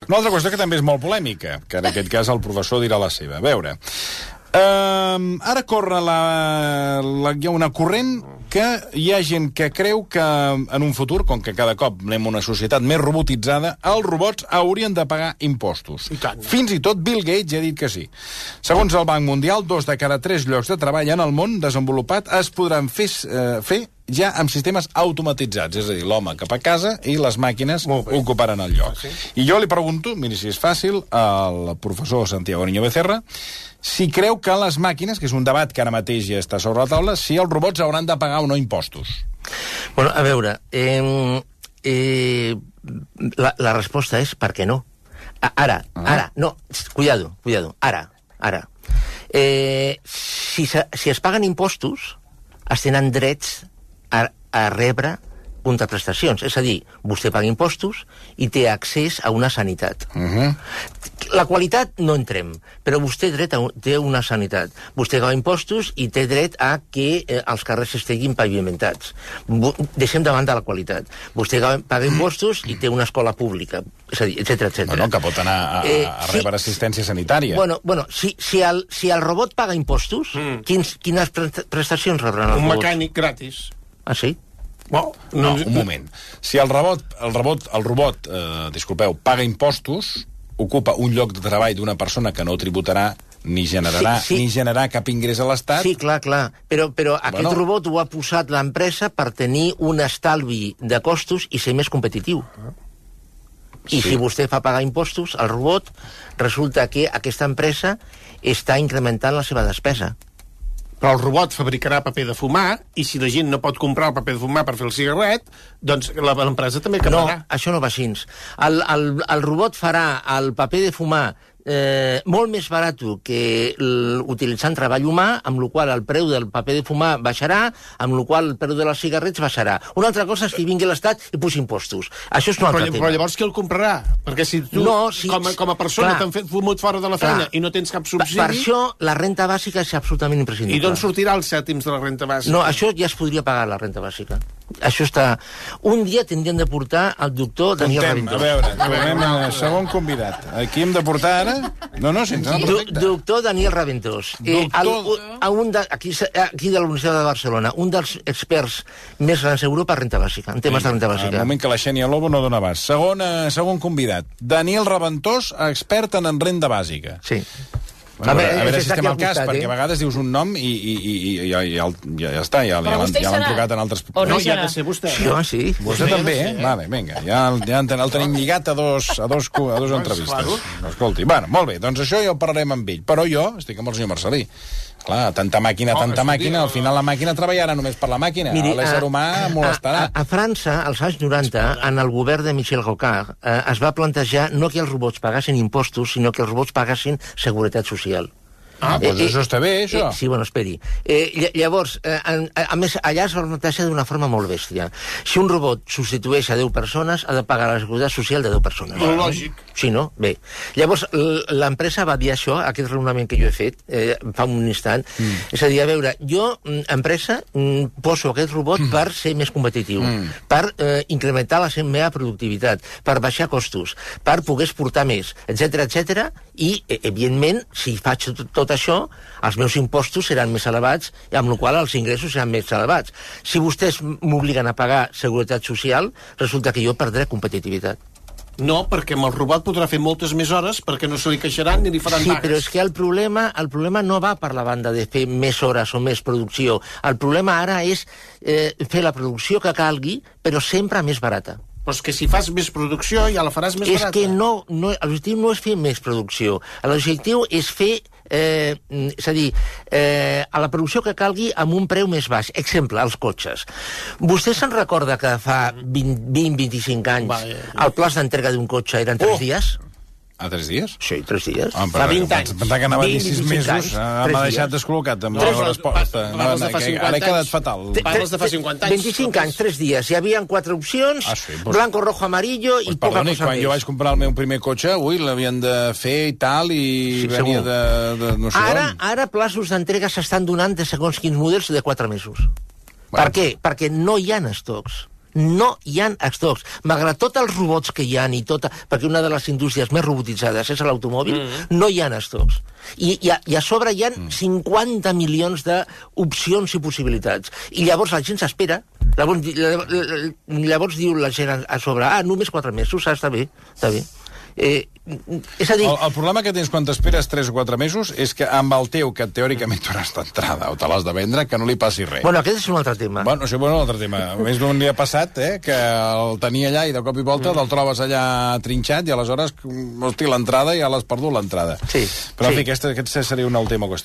Una altra qüestió que també és molt polèmica, que en aquest cas el professor dirà la seva. A veure, ara corre hi ha una corrent que hi ha gent que creu que en un futur, com que cada cop anem a una societat més robotitzada, els robots haurien de pagar impostos. Fins i tot Bill Gates ha dit que sí. Segons el Banc Mundial, 2 de cada 3 llocs de treball en el món desenvolupat es podran fer ja amb sistemes automatitzats, és a dir, l'home cap a casa i les màquines ocuparan el lloc. I jo li pregunto, miri si és fàcil, al professor Santiago Niño Becerra, si creu que les màquines, que és un debat que ara mateix ja està sobre la taula, si els robots hauran de pagar o no impostos. Bueno, a veure, la resposta és per què no. Ara, no, cuidado, ara. Si es paguen impostos, es tenen drets a rebre contraprestacions. És a dir, vostè paga impostos i té accés a una sanitat. La qualitat no entrem, però vostè té una sanitat. Vostè paga impostos i té dret a que els carrers estiguin pavimentats. Deixem de banda la qualitat. Vostè paga impostos i té una escola pública, és a dir, etcètera. Bueno, que pot anar a rebre assistència sanitària. Bueno, si el robot paga impostos, quines prestacions rebran els robots? Un mecànic gratis. Ah, sí? No, un moment. Si el robot, disculpeu, paga impostos, ocupa un lloc de treball d'una persona que no tributarà ni generarà cap ingrés a l'Estat... Sí, clar. Però aquest robot ho ha posat l'empresa per tenir un estalvi de costos i ser més competitiu. I si vostè fa pagar impostos al robot, resulta que aquesta empresa està incrementant la seva despesa. Però el robot fabricarà paper de fumar i si la gent no pot comprar el paper de fumar per fer el cigarret, doncs l'empresa també acabarà. No, això no va així. El robot farà el paper de fumar molt més barat que utilitzant treball humà, amb la qual el preu del paper de fumar baixarà, amb la qual el preu de les cigarrets baixarà. Una altra cosa és que vingui l'Estat i posi impostos. Això és un altre tema. Però llavors qui el comprarà? Perquè si tu, com a persona, t'han fet fumut fora de la feina i no tens cap subsidi... Per això la renta bàsica és absolutament imprescindible. I d'on sortirà els cèntims de la renta bàsica? No, això ja es podria pagar, la renta bàsica. Això està... Un dia tindríem de portar el doctor Daniel Raventós. A veure, tornem al segon convidat. Aquí hem de portar ara... No, Doctor Daniel Raventós. Aquí de la Universitat de Barcelona, un dels experts més grans d'Europa en renta bàsica, en temes de renta bàsica. Al moment que la Xènia Lobo no dona abast. Segon convidat. Daniel Raventós, expert en renda bàsica. Sí. A veure si estem al cas, perquè a vegades dius un nom i ja està, ja l'han trucat en altres... No, ja ha de ser vostè. Sí. Vostè també, eh? Vale, vinga, ja el tenim lligat a dos entrevistes. Escolti, bueno, molt bé, doncs això ja ho parlarem amb ell, però jo estic amb el senyor Marcelí. Clar, tanta màquina, al final la màquina treballarà només per la màquina. L'ésser humà molestarà. A França, als anys 90, en el govern de Michel Rocard, es va plantejar no que els robots pagassin impostos, sinó que els robots pagassin seguretat social. Doncs això està bé, això. Sí, bueno, esperi. Llavors, a més, allà es va plantejar d'una forma molt bèstia. Si un robot substitueix a 10 persones, ha de pagar la seguretat social de 10 persones. Lògic. Sí, no? Bé. Llavors, l'empresa va dir això, aquest raonament que jo he fet fa un instant. És a dir, a veure, jo, empresa, poso aquest robot per ser més competitiu, per incrementar la meva productivitat, per baixar costos, per poder exportar més, etcètera, i, evidentment, si faig tot això, els meus impostos seran més elevats, amb la qual els ingressos seran més elevats. Si vostès m'obliguen a pagar seguretat social, resulta que jo perdré competitivitat. No, perquè amb el robot podrà fer moltes més hores perquè no se li queixaran ni li faran pagues. Sí, però és que el problema no va per la banda de fer més hores o més producció. El problema ara és fer la producció que calgui, però sempre més barata. Però és que si fas més producció ja la faràs més barata. És que l'objectiu no és fer més producció. L'objectiu és fer és a dir, a la producció que calgui amb un preu més baix. Exemple, els cotxes. Vostè se'n recorda que fa 20-25 anys el plaç d'entrega d'un cotxe eren 3 dies? A 3 dies? Sí, 3 dies. Fa 20 anys. Pensava que anava a dir 6 mesos. M'ha deixat descol·locat amb la resposta. Ara he quedat fatal. Parles de fa 50 anys. 25 anys, 3 dies. Hi havia 4 opcions, blanco, rojo, amarillo i poca cosa més. Quan jo vaig comprar el meu primer cotxe, l'havien de fer i tal, i venia de no sé on. Ara plaços d'entrega s'estan donant de segons quins models de 4 mesos. Per què? Perquè no hi ha estocs. No hi ha estocs. Malgrat tots els robots que hi ha perquè una de les indústries més robotitzades és l'automòbil, no hi ha estocs. I a sobre hi ha 50 milions d'opcions i possibilitats. I llavors la gent s'espera. Llavors diu la gent a sobre, només 4 mesos, està bé, està bé. És a dir... El problema que tens quan t'esperes 3 o 4 mesos és que amb el teu, que teòricament t'hauràs d'entrada o te l'has de vendre, que no li passi res. Bueno, aquest és un altre tema. Bueno, això és un altre tema. A més d'un dia passat, que el tenia allà i de cop i volta te'l trobes allà trinxat i aleshores, hosti, l'entrada ja l'has perdut, l'entrada. Sí. Però, en fi, aquest seria un alt tema qüestió.